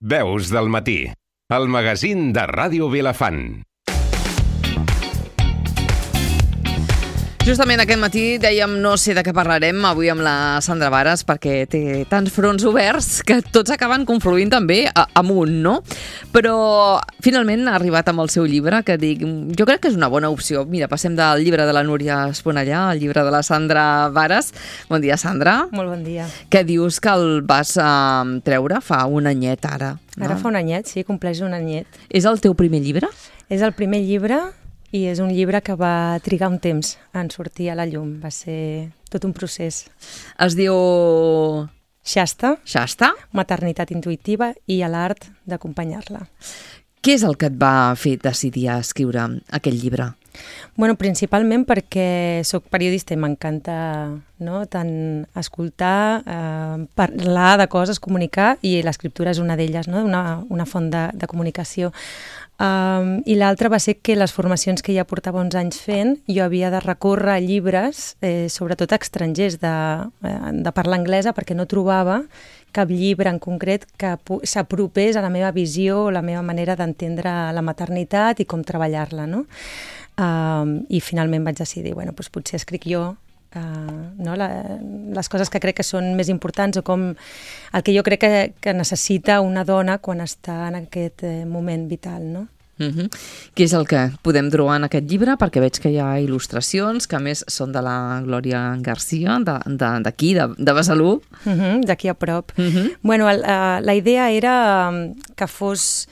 Veus del matí, el magazín de Ràdio Vilafant. Justament aquest matí dèiem no sé de què parlarem avui amb la Sandra Vares perquè té tants fronts oberts que tots acaben confluint també amunt, no? Però finalment ha arribat amb el seu llibre que dic, jo crec que és una bona opció. Mira, passem del llibre de la Núria Esponellà al llibre de la Sandra Vares. Bon dia, Sandra. Molt bon dia. Que dius que el vas treure fa un anyet ara, no? Ara fa un anyet, sí, compleix un anyet. És el teu primer llibre? És el primer llibre i és un llibre que va trigar un temps en sortir a la llum. Va ser tot un procés. Es diu... Shasta, Maternitat intuïtiva i a l'art d'acompanyar-la. Què és el que et va fer decidir a escriure aquest llibre? Bueno, principalment perquè sóc periodista i m'encanta, no, tant escoltar, parlar de coses, comunicar, i l'escriptura és una d'elles, no? una font de comunicació. I l'altra va ser que les formacions que ja portava uns anys fent, jo havia de recórrer a llibres, sobretot estrangers, de parla anglesa, perquè no trobava cap llibre en concret que s'apropés a la meva visió o la meva manera d'entendre la maternitat i com treballar-la, no? I finalment vaig decidir, bueno, doncs potser escric jo no, les coses que crec que són més importants o com el que jo crec que necessita una dona quan està en aquest moment vital, no? Què és el que podem trobar en aquest llibre? Perquè veig que hi ha il·lustracions, que a més són de la Glòria Garcia, d'aquí, de Besalú. D'aquí a prop. Bueno, la idea era que fos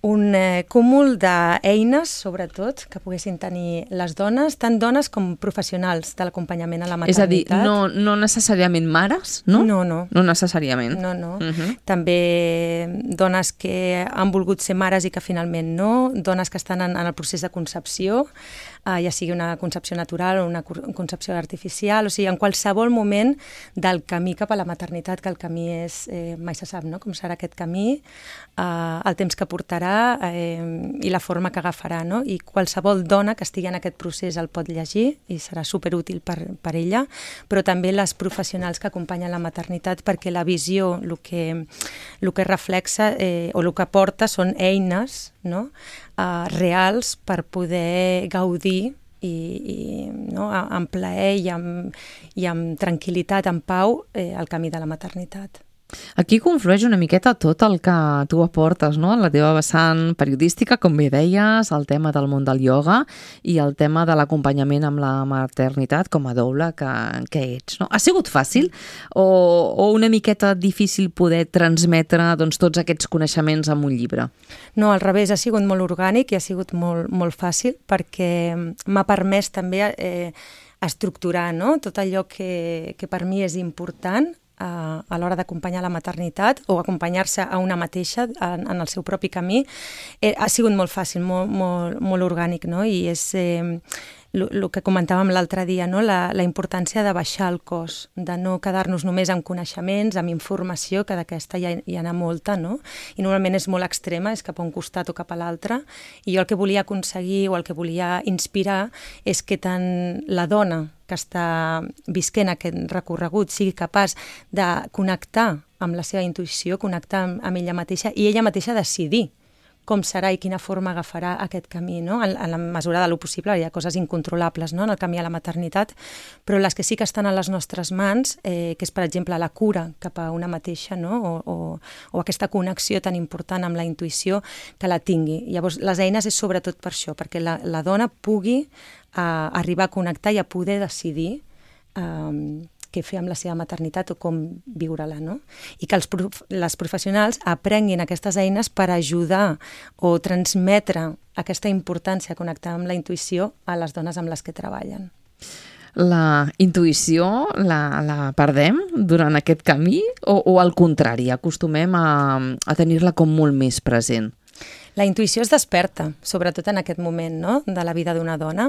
un cúmul d'eines, sobretot, que poguessin tenir les dones, tant dones com professionals de l'acompanyament a la maternitat. És a dir, no necessàriament mares, no? No. No necessàriament. No. També dones que han volgut ser mares i que finalment no, dones que estan en el procés de concepció, ja sigui una concepció natural o una concepció artificial, o sigui, en qualsevol moment del camí cap a la maternitat, que el camí és, mai se sap, no?, com serà aquest camí, el temps que portarà i la forma que agafarà, no? I qualsevol dona que estigui en aquest procés el pot llegir i serà superútil per ella, però també les professionals que acompanyen la maternitat, perquè la visió, el que reflexa o el que porta són eines, no?, reals per poder gaudir no, amb plaer i amb tranquil·litat, amb pau, el camí de la maternitat. Aquí conflueix una miqueta tot el que tu aportes, no?, en la teva vessant periodística, com bé deies, el tema del món del ioga i el tema de l'acompanyament amb la maternitat com a doula que ets, no? Ha sigut fàcil o una miqueta difícil poder transmetre doncs, tots aquests coneixements en un llibre? No, al revés, ha sigut molt orgànic i ha sigut molt, molt fàcil perquè m'ha permès també estructurar, no?, tot allò que per mi és important a l'hora d'acompanyar la maternitat o acompanyar-se a una mateixa en el seu propi camí. Ha sigut molt fàcil, molt orgànic, no? I és el que comentàvem l'altre dia, no? La importància de baixar el cos, de no quedar-nos només amb coneixements, amb informació, que d'aquesta ja hi ha molta, no? I normalment és molt extrema, és cap a un costat o cap a l'altre, i jo el que volia aconseguir o el que volia inspirar és que tant la dona que està visquent aquest recorregut sigui capaç de connectar amb la seva intuïció, connectar amb ella mateixa i ella mateixa decidir com serà i quina forma agafarà aquest camí, no? En la mesura de lo possible. Hi ha coses incontrolables, no?, en el camí a la maternitat, però les que sí que estan a les nostres mans, que és, per exemple, la cura cap a una mateixa, no?, o aquesta connexió tan important amb la intuïció, que la tingui. Llavors, les eines és sobretot per això, perquè la dona pugui arribar a connectar i a poder decidir què fer amb la seva maternitat o com viure-la, no? I que les professionals aprenguin aquestes eines per ajudar o transmetre aquesta importància a connectar amb la intuïció a les dones amb les que treballen. La intuïció la perdem durant aquest camí o al contrari, acostumem a tenir-la com molt més present? La intuïció es desperta, sobretot en aquest moment, no?, de la vida d'una dona.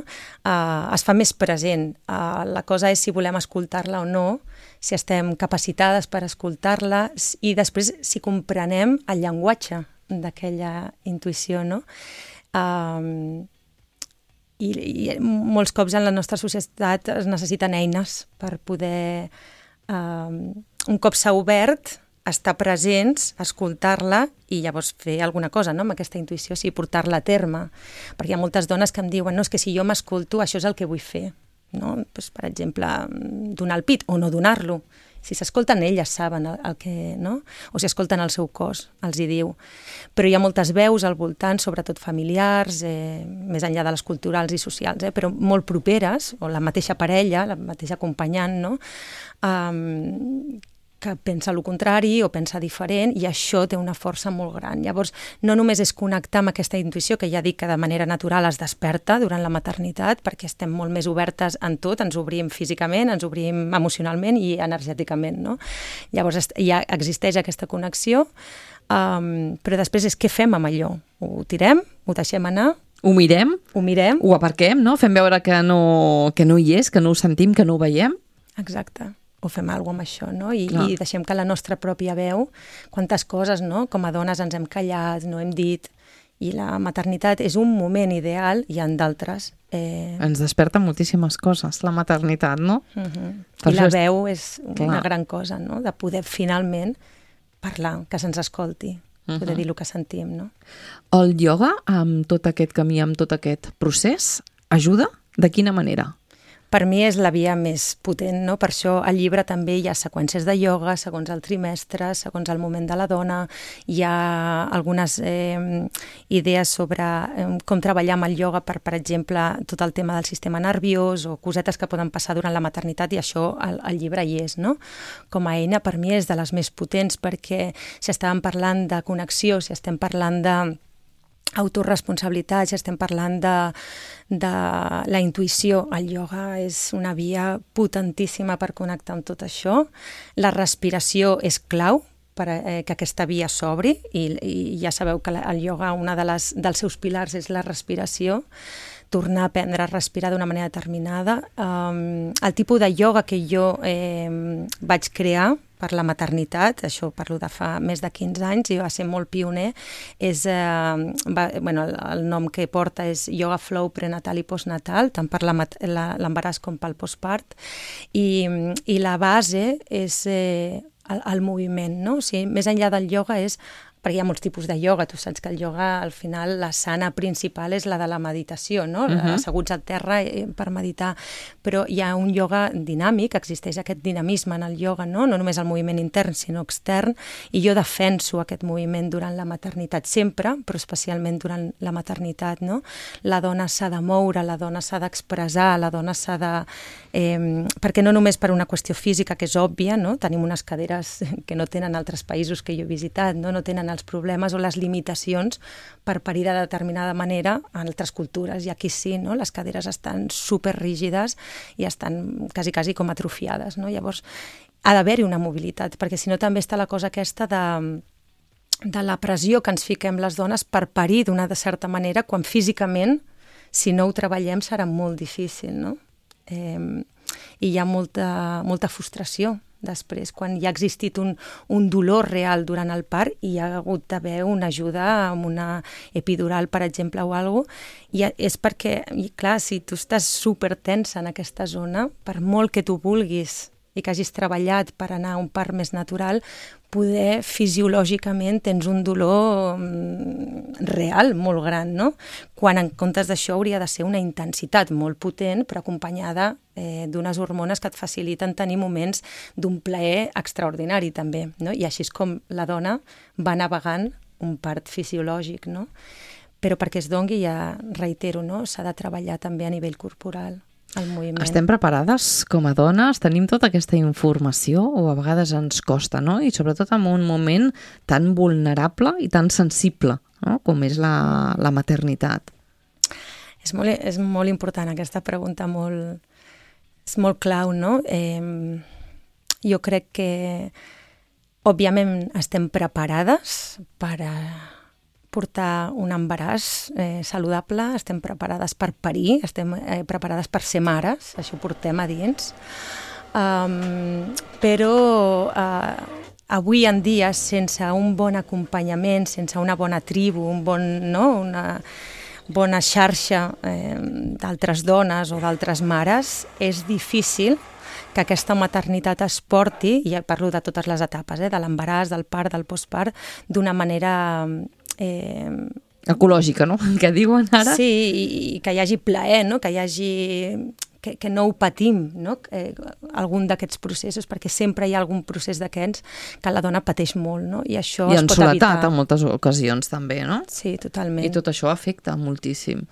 Es fa més present. La cosa és si volem escoltar-la o no, si estem capacitades per escoltar-la i després si comprenem el llenguatge d'aquella intuïció, no? I molts cops en la nostra societat es necessiten eines per poder, un cop s'ha obert, estar presents, escoltar-la i llavors fer alguna cosa, no?, amb aquesta intuïció, sí, portar-la a terme. Perquè hi ha moltes dones que em diuen, no, és que si jo m'escolto, això és el que vull fer. No? Pues, per exemple, donar el pit o no donar-lo. Si s'escolten, elles saben el que, no? O si escolten el seu cos, els hi diu. Però hi ha moltes veus al voltant, sobretot familiars, més enllà de les culturals i socials, però molt properes, o la mateixa parella, la mateixa acompanyant, no? Que pensa el contrari o pensa diferent, i això té una força molt gran. Llavors, no només és connectar amb aquesta intuïció, que ja dic que de manera natural es desperta durant la maternitat, perquè estem molt més obertes en tot, ens obrim físicament, ens obrim emocionalment i energèticament, no? Llavors, ja existeix aquesta connexió, però després és què fem amb allò? Ho tirem? Ho deixem anar? Ho mirem? Ho mirem? Ho aparquem, no? Fem veure que no hi és, que no ho sentim, que no ho veiem? Exacte. O fem alguna cosa amb això, no? I deixem que la nostra pròpia veu, quantes coses, no?, com a dones ens hem callat, no hem dit, i la maternitat és un moment ideal, hi ha d'altres. Ens desperta moltíssimes coses, la maternitat, no? I la veu és una gran cosa, no?, de poder finalment parlar, que se'ns escolti, poder dir el que sentim, no? El ioga, amb tot aquest camí, amb tot aquest procés, ajuda? De quina manera? Per mi és la via més potent, no? Per això al llibre també hi ha seqüències de ioga, segons el trimestre, segons el moment de la dona, hi ha algunes idees sobre com treballar amb el ioga per exemple, tot el tema del sistema nerviós o cosetes que poden passar durant la maternitat, i això al llibre hi és, no? Com a eina per mi és de les més potents, perquè si estàvem parlant de connexió, si estem parlant de autoresponsabilitat, si estem parlant de la intuïció, el ioga és una via potentíssima per connectar amb tot això. La respiració és clau per que aquesta via s'obri, i ja sabeu que el ioga, una dels seus pilars és la respiració, tornar a aprendre a respirar d'una manera determinada. El tipus de ioga que jo vaig crear per la maternitat, això parlo de fa més de 15 anys, i va ser molt pioner, és, el nom que porta és Yoga Flow prenatal i postnatal, tant per l'embaràs com pel postpart, i la base és el moviment, no? O sigui, més enllà del ioga és, perquè hi ha molts tipus de ioga, tu saps que el ioga, al final, la sana principal és la de la meditació, no? Asseguts al terra per meditar, però hi ha un ioga dinàmic, existeix aquest dinamisme en el ioga, no? No només el moviment intern, sinó extern, i jo defenso aquest moviment durant la maternitat sempre, però especialment durant la maternitat, no? La dona s'ha de moure, la dona s'ha d'expressar, la dona s'ha de... perquè no només per una qüestió física, que és òbvia, no? Tenim unes caderes que no tenen altres països que jo he visitat, no tenen els problemes o les limitacions per parir de determinada manera en altres cultures, i aquí sí, no? Les caderes estan superrígides i estan quasi com atrofiades, no? Llavors ha d'haver-hi una mobilitat, perquè si no també està la cosa aquesta de la pressió que ens fiquem les dones per parir d'una certa manera, quan físicament, si no ho treballem, serà molt difícil, no? I hi ha molta frustració després, quan hi ha existit un dolor real durant el part i hi ha hagut d'haver una ajuda amb una epidural, per exemple, o alguna cosa, i és perquè, clar, si tu estàs supertensa en aquesta zona, per molt que tu vulguis i que hagis treballat per anar a un part més natural, poder fisiològicament tens un dolor real molt gran, no? Quan en comptes d'això hauria de ser una intensitat molt potent, però acompanyada d'unes hormones que et faciliten tenir moments d'un plaer extraordinari també, no? I així és com la dona va navegant un part fisiològic, no? Però perquè es dongui, ja reitero, no? S'ha de treballar també a nivell corporal. Estem preparades com a dones? Tenim tota aquesta informació o a vegades ens costa, no? I sobretot en un moment tan vulnerable i tan sensible, no? Com és la maternitat. És molt important aquesta pregunta, és molt clau, no? Jo crec que òbviament estem preparades per portar un embaràs saludable, estem preparades per parir, estem preparades per ser mares, això ho portem a dins, però avui en dia, sense un bon acompanyament, sense una bona tribu, una bona xarxa d'altres dones o d'altres mares, és difícil que aquesta maternitat es porti, i parlo de totes les etapes, de l'embaràs, del part, del postpart, d'una manera... ecològica, no? Que diuen ara. Sí, i que hi hagi plaer, no? Que hi hagi... Que no ho patim, no? Algun d'aquests processos, perquè sempre hi ha algun procés d'aquests que la dona pateix molt, no? I això es pot evitar. I en soledat en moltes ocasions també, no? Sí, totalment. I tot això afecta moltíssim.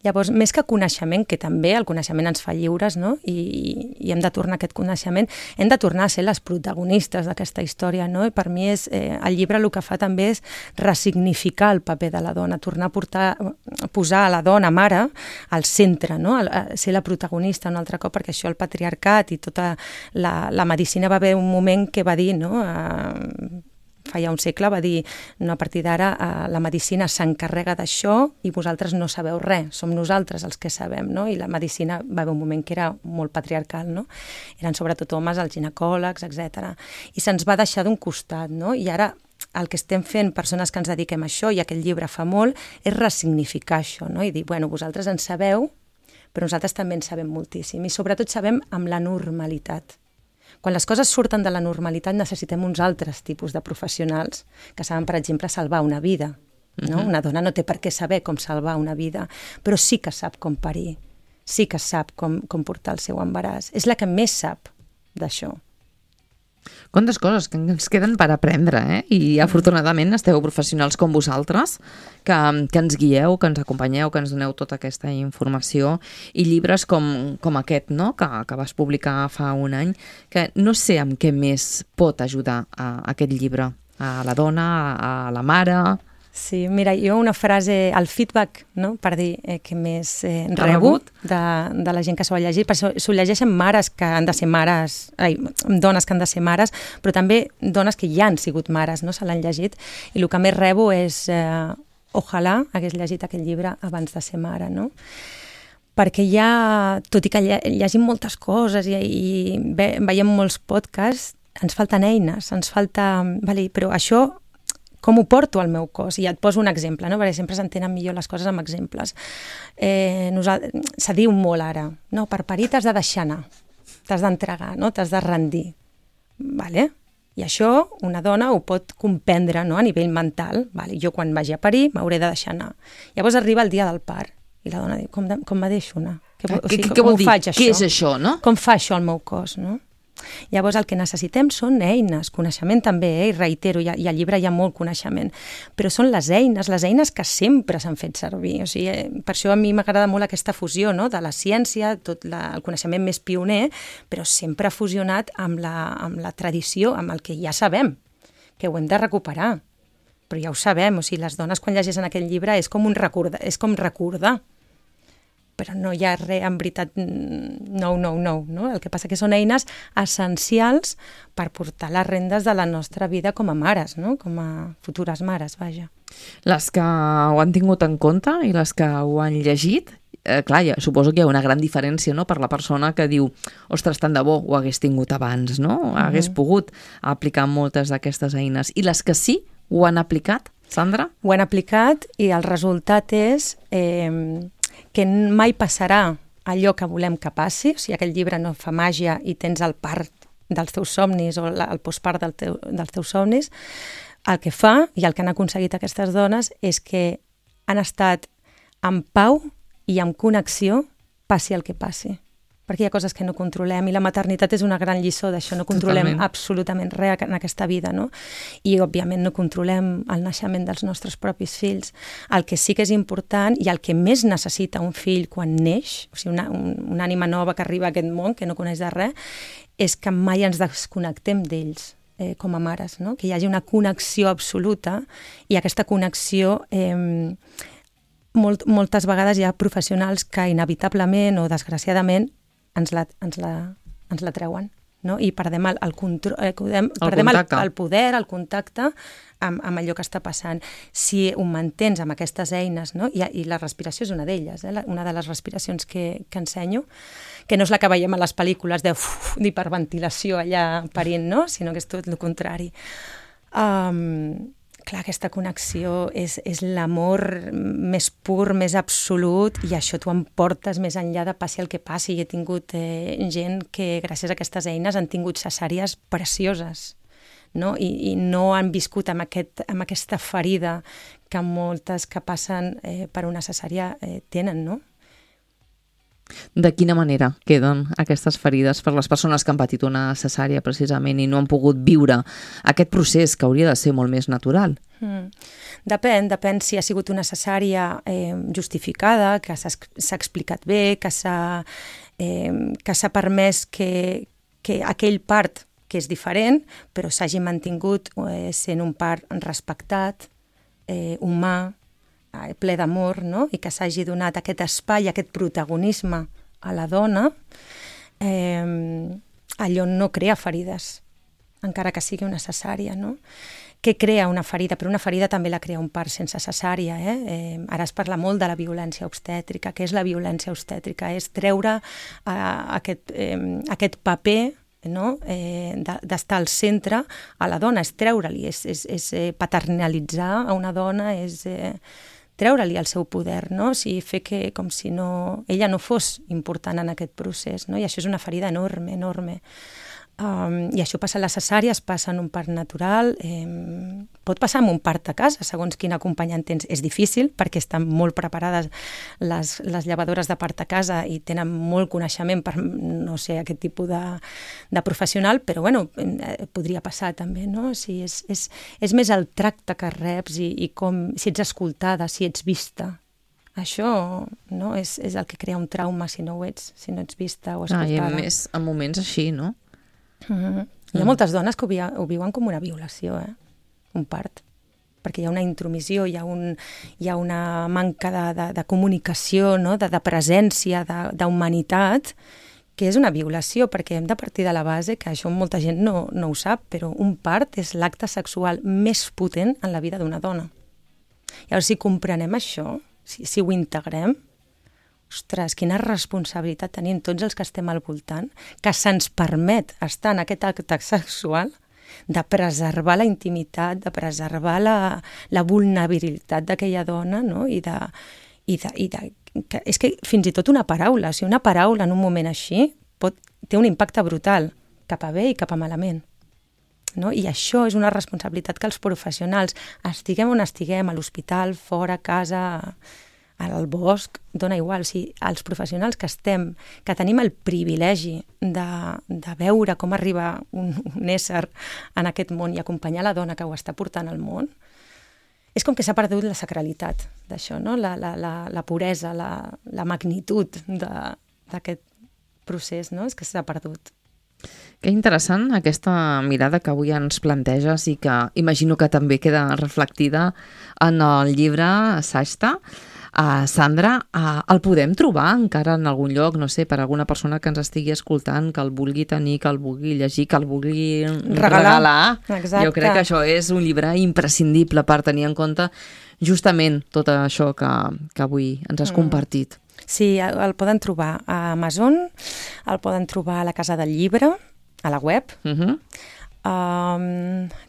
Llavors, més que coneixement, que també el coneixement ens fa lliures, no? I hem de tornar a aquest coneixement, hem de tornar a ser les protagonistes d'aquesta història, no? I per mi el llibre el que fa també és ressignificar el paper de la dona, tornar a posar a la dona mare al centre, no? Ser la protagonista un altre cop, perquè això el patriarcat i tota la medicina va haver un moment que va dir, no? Fa ja un segle va dir, no, a partir d'ara la medicina s'encarrega d'això i vosaltres no sabeu res, som nosaltres els que sabem, no? I la medicina va haver un moment que era molt patriarcal, no? Eren sobretot homes, els ginecòlegs, etc. I se'ns va deixar d'un costat, no? I ara el que estem fent, persones que ens dediquem a això, i aquest llibre fa molt, és ressignificar això, no? I dir, bueno, vosaltres en sabeu, però nosaltres també en sabem moltíssim, i sobretot sabem amb la normalitat. Quan les coses surten de la normalitat necessitem uns altres tipus de professionals que saben, per exemple, salvar una vida. No? Una dona no té per què saber com salvar una vida, però sí que sap com parir, sí que sap com portar el seu embaràs. És la que més sap d'això. Quantes coses que ens queden per aprendre, I afortunadament esteu professionals com vosaltres, que ens guieu, que ens acompanyeu, que ens doneu tota aquesta informació, i llibres com aquest, no? que vas publicar fa un any, que no sé amb què més pot ajudar aquest llibre, a la dona, a la mare... Sí, mira, jo una frase, el feedback, no?, per dir que més rebut de la gent que s'ho ha llegit, perquè s'ho llegeixen mares que han de ser mares, dones que han de ser mares, però també dones que ja han sigut mares, no?, se l'han llegit, i el que més rebo és ojalà hagués llegit aquest llibre abans de ser mare, no?, perquè ja, tot i que llegim moltes coses i veiem molts podcasts, ens falten eines, ens falta... Vale, però això... Com ho porto al meu cos? I et poso un exemple, no? Perquè sempre s'entenen millor les coses amb exemples. Se diu molt ara, no? Per parir t'has de deixar anar, t'has d'entregar, no? T'has de rendir. Vale? I això una dona ho pot comprendre, no? A nivell mental. Vale? Jo quan vagi a parir m'hauré de deixar anar. Llavors arriba el dia del part i la dona diu, com me deixo anar? Què vol dir? Què és això, no? Com fa això al meu cos, no? Llavors el que necessitem són eines, coneixement també, i reitero, i al llibre hi ha molt coneixement, però són les eines que sempre s'han fet servir. O sigui, per això a mi m'agrada molt aquesta fusió, no?, de la ciència, tot el coneixement més pioner, però sempre fusionat amb la tradició, amb el que ja sabem, que ho hem de recuperar. Però ja ho sabem, o sigui, les dones quan llegeixen aquest llibre és com recordar. Però no hi ha res, en veritat, no. El que passa que són eines essencials per portar les rendes de la nostra vida com a mares, no? Com a futures mares, vaja. Les que ho han tingut en compte i les que ho han llegit, clar, suposo que hi ha una gran diferència, no?, per la persona que diu, ostres, tant de bo ho hagués tingut abans, no? Hagués pogut aplicar moltes d'aquestes eines. I les que sí ho han aplicat, Sandra? Ho han aplicat i el resultat és... que mai passarà allò que volem que passi, o sigui, aquell llibre no fa màgia i tens el part dels teus somnis o el postpart dels teus somnis, el que fa i el que han aconseguit aquestes dones és que han estat en pau i en connexió passi el que passi. Perquè hi ha coses que no controlem i la maternitat és una gran lliçó d'això, no controlem absolutament res en aquesta vida, no? I, òbviament, no controlem el naixement dels nostres propis fills. El que sí que és important i el que més necessita un fill quan neix, o sigui, una ànima nova que arriba a aquest món, que no coneix de res, és que mai ens desconnectem d'ells com a mares, no? Que hi hagi una connexió absoluta i aquesta connexió... moltes vegades hi ha professionals que inevitablement o desgraciadament ens la treuen, no? I perdem el control, perdem el poder, el contacte amb allò que està passant. Si ho mantens amb aquestes eines, no? I la respiració és una d'elles, una de les respiracions que ensenyo, que no és la que veiem a les pel·lícules d'hiperventilació allà parint, no? Sinó que és tot el contrari. Clar, aquesta connexió és l'amor més pur, més absolut, i això t'ho emportes més enllà de passi el que passi. I he tingut gent que gràcies a aquestes eines han tingut cesàries precioses, no? I no han viscut amb aquesta ferida que moltes que passen per una cesària tenen, no? De quina manera queden aquestes ferides per les persones que han patit una cesària precisament i no han pogut viure aquest procés que hauria de ser molt més natural? Depèn si ha sigut una cesària justificada, que s'ha explicat bé, que s'ha permès que aquell part que és diferent, però s'hagi mantingut sent un part respectat, humà, ple d'amor, no? I que s'hagi donat aquest espai, aquest protagonisme a la dona, allò no crea ferides, encara que sigui una cesària, no? Què crea una ferida? Però una ferida també la crea un part sense cesària. Ara es parla molt de la violència obstètrica. Què és la violència obstètrica? És treure aquest paper, no? D'estar al centre a la dona, és treure-li, és paternalitzar a una dona, és treure-li el seu poder, no? Fer que com si ella no fos important en aquest procés, no? I això és una ferida enorme, enorme. I això passa a les cesàries, passa en un part natural, pot passar en un part a casa, segons quin acompanyant tens. És difícil perquè estan molt preparades les llevadores de part a casa i tenen molt coneixement per, no sé, aquest tipus de professional, però bueno, podria passar també, no? És més el tracte que reps i com, si ets escoltada, si ets vista. Això no és el que crea un trauma si no ho ets, si no ets vista o escoltada. I a més, en moments així, no? Hi ha moltes dones que ho viuen com una violació, un part, perquè hi ha una intromissió, hi ha una manca de comunicació, no? de presència, d'humanitat, que és una violació, perquè hem de partir de la base, que això molta gent no ho sap, però un part és l'acte sexual més potent en la vida d'una dona. Llavors, si comprenem això, si ho integrem, ostres, quina responsabilitat tenim tots els que estem al voltant, que se'ns permet estar en aquest acte sexual, de preservar la intimitat, de preservar la vulnerabilitat d'aquella dona, no? És que fins i tot una paraula, si una paraula en un moment així té un impacte brutal, cap a bé i cap a malament. No? I això és una responsabilitat que els professionals, estiguem on estiguem, a l'hospital, fora, a casa, al bosc, dona igual. Si els professionals que tenim el privilegi de veure com arriba un ésser en aquest món i acompanyar la dona que ho està portant al món, és com que s'ha perdut la sacralitat d'això, no? La puresa, la magnitud d'aquest procés, no? És que s'ha perdut. Que interessant aquesta mirada que avui ens planteges i que imagino que també queda reflectida en el llibre Sashta. Sandra, el podem trobar encara en algun lloc, no sé, per alguna persona que ens estigui escoltant, que el vulgui tenir, que el vulgui llegir, que el vulgui regalar. Exacte. Jo crec que això és un llibre imprescindible per tenir en compte justament tot això que avui ens has compartit. Sí, el poden trobar a Amazon, el poden trobar a la Casa del Llibre, a la web.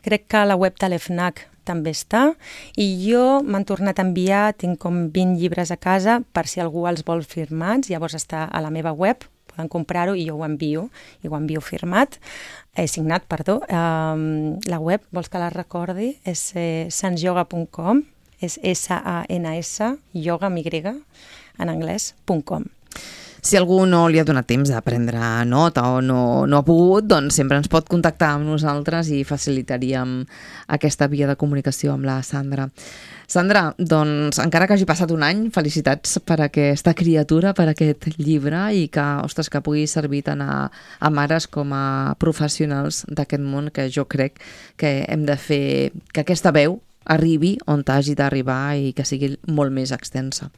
Crec que a la web de l'EFNAC també està, i jo m'han tornat a enviar, tinc com 20 llibres a casa, per si algú els vol firmats, llavors està a la meva web, poden comprar-ho i jo ho envio firmat, signat, perdó. La web, vols que la recordi? És sansyoga.com, és S-A-N-S, yoga amb Y, en anglès.com. Si algú no li ha donat temps de prendre nota o no ha pogut, doncs sempre ens pot contactar amb nosaltres i facilitaríem aquesta via de comunicació amb la Sandra. Sandra, doncs encara que hagi passat un any, felicitats per aquesta criatura, per aquest llibre i que, ostres, que pugui servir tant a mares com a professionals d'aquest món, que jo crec que hem de fer que aquesta veu arribi on hagi d'arribar i que sigui molt més extensa.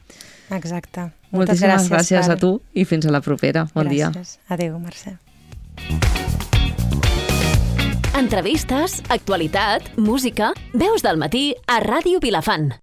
Exacte. Moltíssimes gràcies a tu i fins a la propera. Bon dia. Gràcies. Adéu, Mercè. Entrevistes, actualitat, música, veus del matí a Ràdio Vilafant.